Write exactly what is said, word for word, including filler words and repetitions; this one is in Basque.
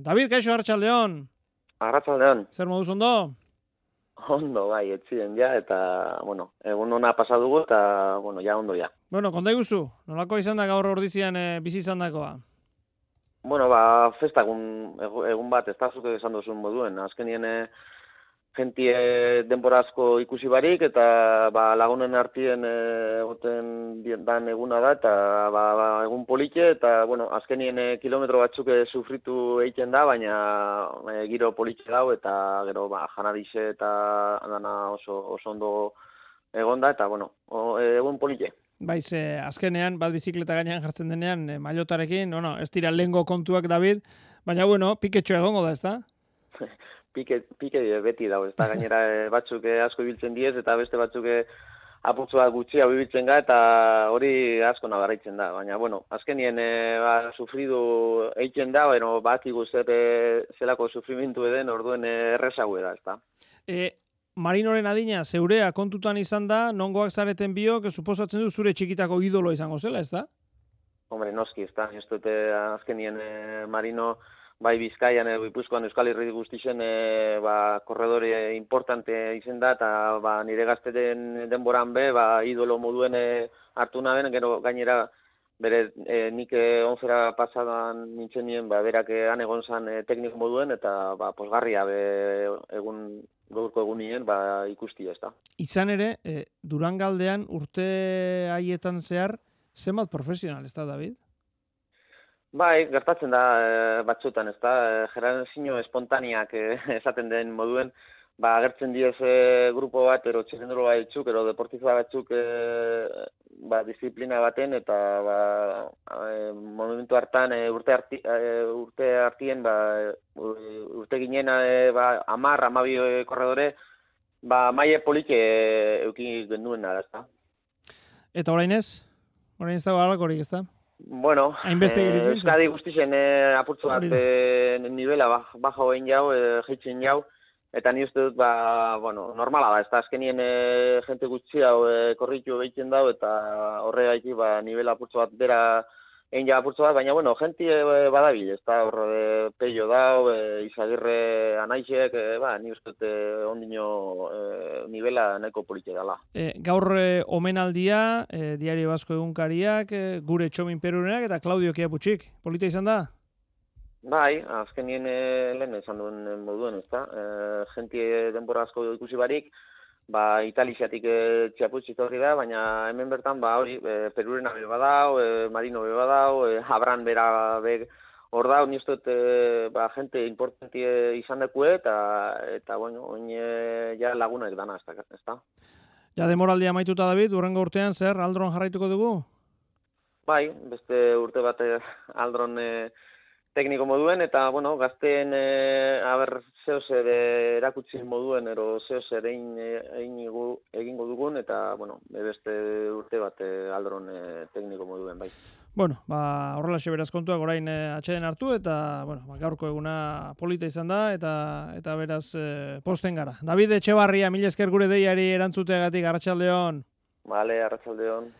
David, kaixo, Arratsaldeon. Arratsaldeon. Zer moduz ondo? Ondo, bai, etzien ja, eta, bueno, egun ona pasa dugu, eta, bueno, ja, ondo ja. Bueno, konta iguzu, nolako izan da gaur ordizian e, bizi izan dakoa? Bueno, ba, festa egun, egun bat, ez da zuke esan duzun moduen, azkenien e, jentie denbora asko ikusi barik, eta ba, lagunen artien egoten dan eguna da, eta ba, ba, egun politxe, eta bueno, azkenien e, kilometro batzuk e, sufritu egiten da, baina e, giro politxe dau, eta gero ba, janarize eta dana oso, oso ondo egon da, eta bueno, o, e, egun politxe. Baiz, eh, azkenean, bat bizikleta gainean jartzen denean, eh, mailotarekin, no, no, ez dira lehengo kontuak, David, baina, bueno, piketxo egongo da, ez da? Pike, pike beti dago, ez da, gainera e, batzuk e, asko ibiltzen diez, eta beste batzuk e, apurtzua gutxia ibiltzen ga, eta hori asko nabarraitzen da, baina, bueno, azkenien e, ba, sufridu eitzen da, bueno, bat zer e, zelako sufrimentu eden, orduen e, errezago da, ez da. E, Marinoren adina, zeurea kontutan izan da, nongoak zareten biok, suposatzen du zure txikitako idolo izango zela, ez da? Hombre, noski, ez da, ez dute azkenien e, Marino, bai Bizkaian, e, Gipuzkoan, Euskal Herri guztixen, e, ba, korredore importante izen da, eta ba, nire gazteten denboran be, ba, idolo moduen e, hartu naben, gero gainera, bere e, nik e, onzera pasadan nintzen nien, ba, berak han egon zan e, tekniko moduen, eta ba, posgarria be, egun gaurko egunien ba, ikusti ez da. Izan ere, e, Durangaldean urte haietan zehar, zenbat profesional, ez da, David? Bai, gertatzen da e, batzutan, ez da, e, generazio espontaneak e, esaten den moduen, ba, agertzen diez e, grupo bat, ero txirrenduro batzuk, ero deportiza batzuk e, ba, disiplina baten, eta ba, e, momentu hartan e, urte, arti, e, urte hartien, ba, urte ginen e, ba, amar, amabi e, korredore, ba, maie polike e, euki genduen nara, ez da. Eta orain ez? Orain ez dago alakorik, ez da? Bueno, eh, Euskadi guztien eh, apurtzu bat eh, nivela baja hoen jau, eh, jeitzen jau, eta ni uste dut, ba, bueno, normala da, ez da, azkenien e, jente gutxi hau e, korritu egiten dau, eta horregatik, ba, nivela apurtzu bat bera egin ja apurtzu bat, baina, bueno, jenti e, badabil, ez da, horre e, peio dau, e, Izagirre anaixek, e, ba, ni uste dut e, ondino e, nivela nahiko polite dela. E, gaur e, omenaldia, e, Diario Basko egunkariak, e, gure Txomin Perurenak, eta Claudio Kiaputxik, polita izan da? Bai, azkenien e, lehen izan duen moduen, ez da. E, Genti denbora asko ikusi barik, ba, Italiatik e, txaputxik horri da, baina hemen bertan, ba, hori, e, Perurena be badau, e, Marino be badau, e, Abran bera be hor dau, niztot, e, ba, gente importanti izan dekue, eta, eta bueno, oin e, ja lagunak dana, ez da. Ja, demoraldia maituta, David, urrengo urtean, zer, Aldron jarraituko dugu? Bai, beste urte bat Aldron e, tekniko moduen, eta, bueno, gazteen, e, haber, zeo zer erakutsi moduen, ero zeo zer egin, egin egingo dugun, eta, bueno, beste urte bat e, Aldron e, tekniko moduen, bai. Bueno, ba, horrelaxe beraz kontuak orain e, atxeden hartu, eta, bueno, ba, gaurko eguna polita izan da, eta eta beraz e, posten gara. David Etxebarria, mila esker gure deiari erantzuteagatik, Arratsaldeon. Vale, Arratsaldeon.